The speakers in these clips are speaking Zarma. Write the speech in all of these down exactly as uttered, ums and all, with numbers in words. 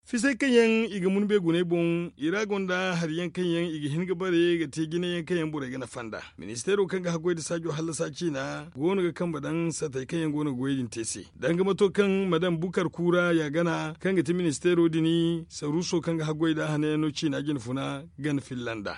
Fisay kaŋ yaŋ i ga mun beegunay boŋ, i ra gonda hari yaŋ kaŋ yaŋ i ga hin ga bare ga te jine yaŋ kaŋ yaŋ borey ga nafa nd'a. Ministeero kaŋ ga haggoy nda saajo hallasa ciina go no ga kambe daŋ satey kaŋ yaŋ go no ga goyey din te se, danga mato kaŋ madam bukar kuura ya gana kaŋ ga ti ministeero din saruuso kaŋ ga haggoy nda hanayaŋ no ciina jinfuna gana filla nd'a.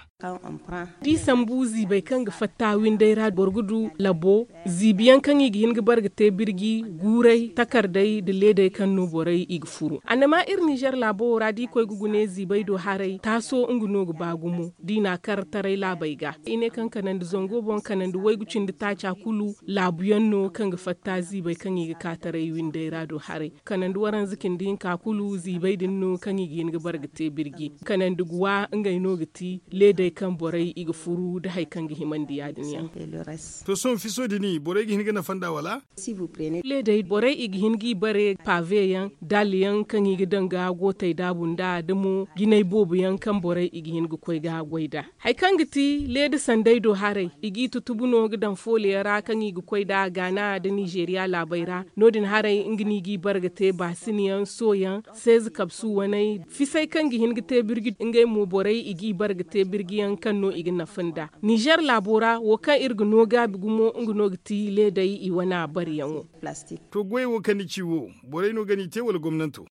Da i sambu ziibey kaŋ ga fatta winday ra boro ga du labo ziibi yaŋ kaŋ i ga hin ga bare ga te birji guuray takardey nda leedey kaŋ no borey i ga furu annama iri nizer laabo wo ra da i koy ga gune ziibey do haray taaso nga no ga ba gumo da i n'a kar taray laabey ga i ne kaŋ kanandi zango boŋ kanandi waygu cindi taaca kulu laabu yaŋ no kaŋ ga fatta ziibey kaŋ i ga ka taray winday ra do haray kanandi waranza cindi hinka kulu ziibey din no kaŋ i ga hin ga bare ga te birji kanandi guwa ngey no ga ti leedey kaŋ borey i ga furu nda hari kaŋ ga himandi ya- din yaŋ. To sohõ fiso din borey ga hin ga nafa nd'a wala? Leedey borey i ga hin g'i bare paaveyaŋ daalyaŋ kaŋ i ga daŋ ga gootey daabu nd'a da mo jinay boobo yaŋ kaŋ borey i ga hin ga koy ga goy nd'a. Hari kaŋ ga ti leeda sanday do haray i g'i tutubu no ga daŋ fooliyaŋ ra kaŋ i ga koy nd'a gaana nda nizeeriya laabey ra no- din haray nga no i g'i bare ga te baasiniyaŋ sooyaŋ seeza kabsu waney fisay kaŋ ga hin ga te birji ngey mo borey i g'i bare ga te birjiyaŋ kaŋ no i ga nafa nd'a. Nizer laabo ra wo kaŋ iri ga no gaabi gumo nga no ga ti leedey i wana bareyaŋo. To goyey wo kaŋ ni ci wo borey no ga n'i te wala gomnanto?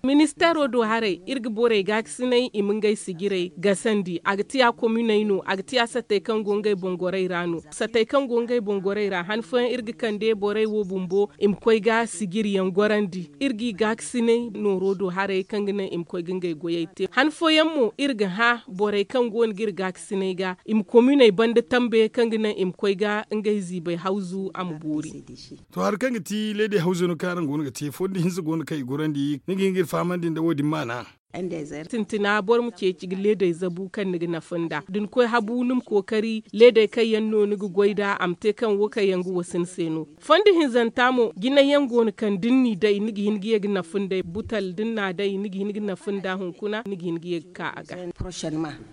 Ministeero do haray iri ga borey gaakasinay i ma ngey sijirey gasandi a ga tiya kominey no a ga tiya sattey kaŋ go ngey boŋ gorey ra no sattey kaŋ go ngey boŋ gorey ra han fooyaŋ iri ga kande borey wo bumbo i ma koy ga sijiriyaŋ gorandi iri g'i gaakasinay nooro do haray kaŋ ga naŋ i ma koy ga ngey goyey te han fooyaŋ mo iri ga hã borey kaŋ go no ga iri gaakasinay ga i ma kominey banda tambe kaŋ ga naŋ i ma koy ga ngey ziibey hawzu a ma boori. To hari kaŋ ga ti leedey hawzey no kaŋ araŋ go no ga te fondo hinza go no kaŋ i gorandi ni ga hin ga iri fahamandi nda wo- din maana. Sintina boro ma ceeci ga leedey zabu kaŋ ni ga nafa nd'a da ni koy habu ni ma kookari leedey kaŋ yaŋ no ni ga goy nd'a a ma te kaŋ wo kaŋ yaŋ ga wasin se no. Fondo hinzanta mo jinay yaŋ go no kaŋ da ni n'i day ni ga hin ga ye ga nafa nd'ey butal da ni n'a day ni ga hin ga nafa nd'a hunkuna ni ga hin ga ye ga ka a ga.